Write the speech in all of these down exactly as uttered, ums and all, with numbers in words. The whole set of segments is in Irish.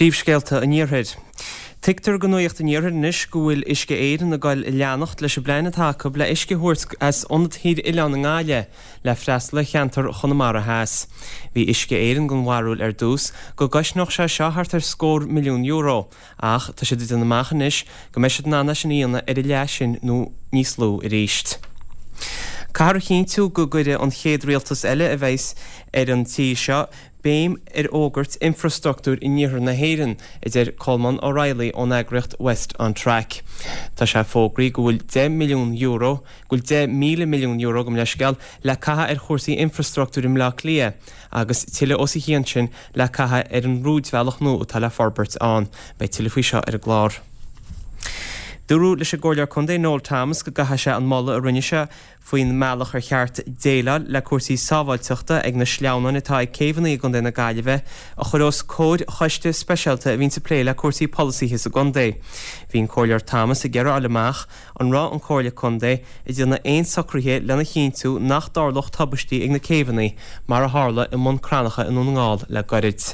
Príomhscéalta an Iarthair. Tuigtear do Nuacht an Iarthair anois go bhfuil Uisce Éireann ag goil a leanacht leis an bplean atá acu le uisce a thabhairt as ionad Thír Oileáin i nGaillimh le freastal ar cheantar Chonamara Theas. Bhí Uisce Éireann den bharúil ar dtús go gcosnódh sé seo thart ar scór milliún euro ach tá siad ag déanamh amach anois go mbeidh siad in ann é sin a dhéanamh ar a leath sin nó níos lú arís. Caithfear a chinntiú go gcuirfidh an chéad rialtas eile a bheas ar an tír seo béim ar fhorbairt infrastruchtúir in iarthar na hÉireann, a deir Colmán O'Reilly ón eagraíocht West on Track. Tá sé fógraithe go bhfuil deich milliún euro, go bhfuil deich míle milliún euro gabh mo leithscéal le caitheamh ar chúrsaí infrastruchtúir i mBleá Cliath agus tuilleadh os a chionn sin le caitheamh ar an rúidbhealach nua atá le forbairt ann. Beidh tuilleadh faoi seo ar an gclár. Dúradh leis an gComhairleoir Contae Noel Thomas go gcaithfidh sé an moladh a rinne sé faoin mbealach ar cheart déileáil le cúrsaí sábháilteachta ag na sleamhnáin atá ag céibheanna i gContae na Gaillimhe a chur os comhair choiste speisialta a bhíonns ag plé le cúrsaí polasaithe sa gcontae. Bhí an Comhairleoir Thomas ag iarraidh a fháil amach an raibh an Chomhairle Contae ag déanamh aon socruithe lena chinntiú nach dtarlódh tubaistí ag na céibheanna mar a tharla i mBun Cranncha i nDún na nGall le gairid.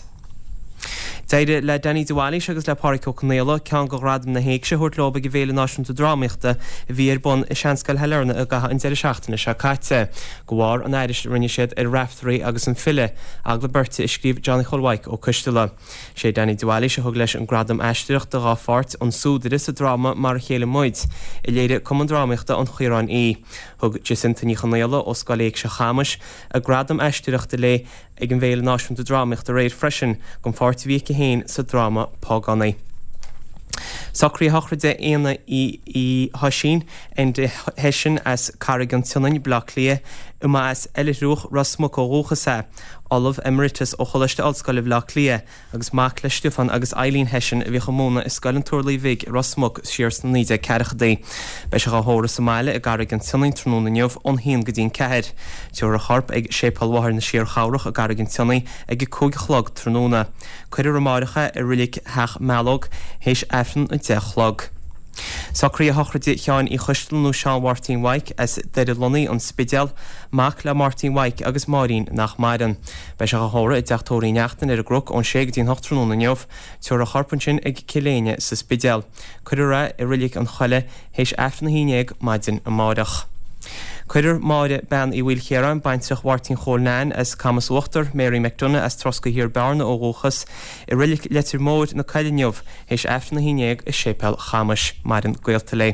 D'éirigh le Danny de Bhailís agus le Pádraic Ó Conaola ceann de ghradaim na hÉigse a thabhairt leo ag an bhFéile Náisiúnta Drámaíochta a bhí ar bun i Seanscoil Shailearna i gcaitheamh an deireadh seachtaine seo caite, de bharr an aithris a rinne siad ar Raiftearaí agus an File, agallamh beirte a scríobh Johnny Chóil Mhaidhc Ó Coisteala. Sé Danny de Bhailís a thug leis an gradam aisteoireachta dá pháirt, An Súdaire, sa dráma Mar a Chéile Muid, a léirigh Cumann Drámaíochta an Chaoráin Uí. Thug Jacinta Ní Chonaola ó Scoil Éigse Chamais a gradam aisteoireachta léi ag an bhFéile Náisiúnta Drámaíochta aréir freisin don pháirt a bhí aici féin sa dráma Págánaigh. Socruithe sochraide Éanna Uí hOisín, Enda Hession as Carraig an tSionainn, Baile Átha Cliath, a mba as Oilithriúch, Ros Muc ó dhúchas é, Ollamh Emeritus ó Choláiste Ollscoile Bhaile Átha Cliath agus mac le Stiofán agus Eileen Hession a bhíodh ag múineadh i Scoil an Turlaigh Bhig i Ros Muc siar sna naoi déag ceathrachaidí. Beidh sé dhá thórramh sa mbaile i gCarraig an tSionainn tráthnóna inniu ón haon go dtí an ceathair. Tabharfar a chorp ag Séipéal Mháthair na Síorchabhrach i gCarraig an tSionnaigh ag a cúig a chlog tráthnóna. Cuirfear amáireach é i Reilig Theach Mealóg théis Aifreann a deich a chlog. Socruithe sochraide Sheáin Uí Choisteala nó Seán Mháirtín Mhaidhc as Doire Lonnaí, An Spidéal, mac le Máirtín Mhaidhc agus Máirín nach maireann. Beidh sé dhá thórramh i dTeach Tórraimh Uí Neachtain ar an gCnoc ón sé go dtí an hocht tráthnóna inniu. Tabharfar a chorp ansin ag Cill Éinne sa Spidéal. Cuirfear é i Reilig an Choilligh théis Aifreann a haon déag maidin amáireach. Cuirfear Máire Bean Uí Mhaoilchiaráin, baintreach Mháirtín Chóil Neain as Camas Uachtar, Mary McDonagh as Troscaidh Thiar Bearna ó dhúchas, i Reilig Leitir Móir na Coille inniu, théis Aifreann a haon déag i Séipéal Chamais. Maireann gaolta léi.